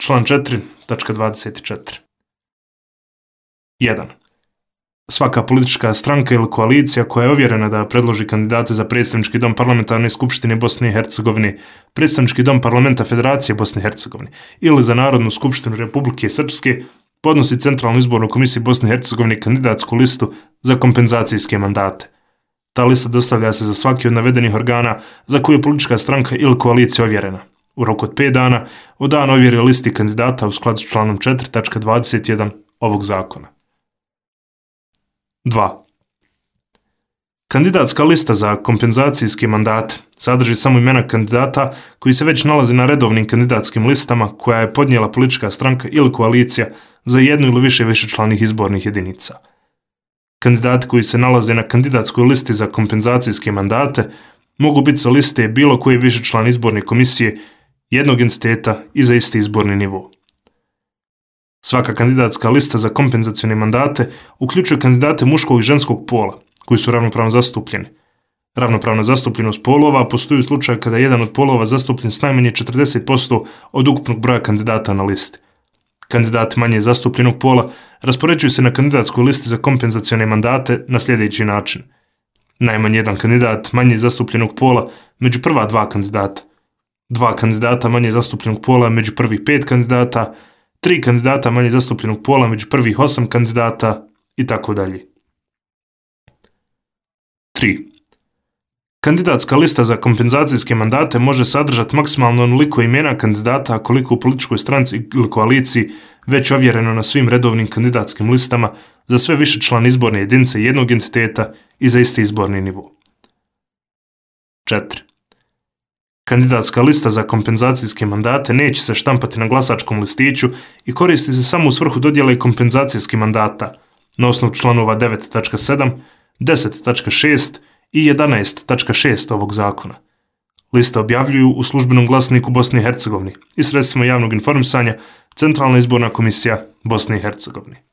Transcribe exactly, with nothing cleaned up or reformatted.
Član četiri, tačka dvadeset četiri. jedan. Svaka politička stranka ili koalicija koja je ovjerena da predloži kandidate za predstavnički dom Parlamentarne skupštine Bosne i Hercegovine, predstavnički dom Parlamenta Federacije Bosne i Hercegovine ili za Narodnu skupštinu Republike Srpske podnosi Centralnoj izbornoj komisiji Bosne i Hercegovine kandidatsku listu za kompenzacijske mandate. Ta lista dostavlja se za svaki od navedenih organa za koju je politička stranka ili koalicija ovjerena, u roku od pet dana od dana ovjere listi kandidata u skladu s članom četiri, tačka dvadeset jedan ovog zakona. dva. Kandidatska lista za kompenzacijske mandate sadrži samo imena kandidata koji se već nalazi na redovnim kandidatskim listama koja je podnijela politička stranka ili koalicija za jednu ili više višečlanih izbornih jedinica. Kandidati koji se nalaze na kandidatskoj listi za kompenzacijske mandate mogu biti sa liste bilo koje višečlane izborne komisije jednog entiteta i za isti izborni nivo. Svaka kandidatska lista za kompenzacione mandate uključuje kandidate muškog i ženskog pola, koji su ravnopravno zastupljeni. Ravnopravna zastupljenost polova postoji u slučaju kada je jedan od polova zastupljen s najmanje četrdeset posto od ukupnog broja kandidata na listi. Kandidati manje zastupljenog pola raspoređuju se na kandidatskoj listi za kompenzacione mandate na sljedeći način. Najmanje jedan kandidat manje zastupljenog pola među prva dva kandidata, dva kandidata manje zastupljenog pola među prvih pet kandidata, tri kandidata manje zastupljenog pola među prvih osam kandidata i tako dalje. tri. Kandidatska lista za kompenzacijske mandate može sadržati maksimalno onoliko imena kandidata koliko u političkoj stranci ili koaliciji već ovjereno na svim redovnim kandidatskim listama za sve višečlane izborne jedinice jednog entiteta i za isti izborni nivo. četiri. Kandidatska lista za kompenzacijske mandate neće se štampati na glasačkom listiću i koristi se samo u svrhu dodjele kompenzacijskih mandata na osnovu članova devet tačka sedam, deset tačka šest i jedanaest tačka šest ovog zakona. Liste objavljuju u službenom glasniku Bosne i Hercegovine i sredstvima javnog informisanja Centralna izborna komisija Bosne i Hercegovine.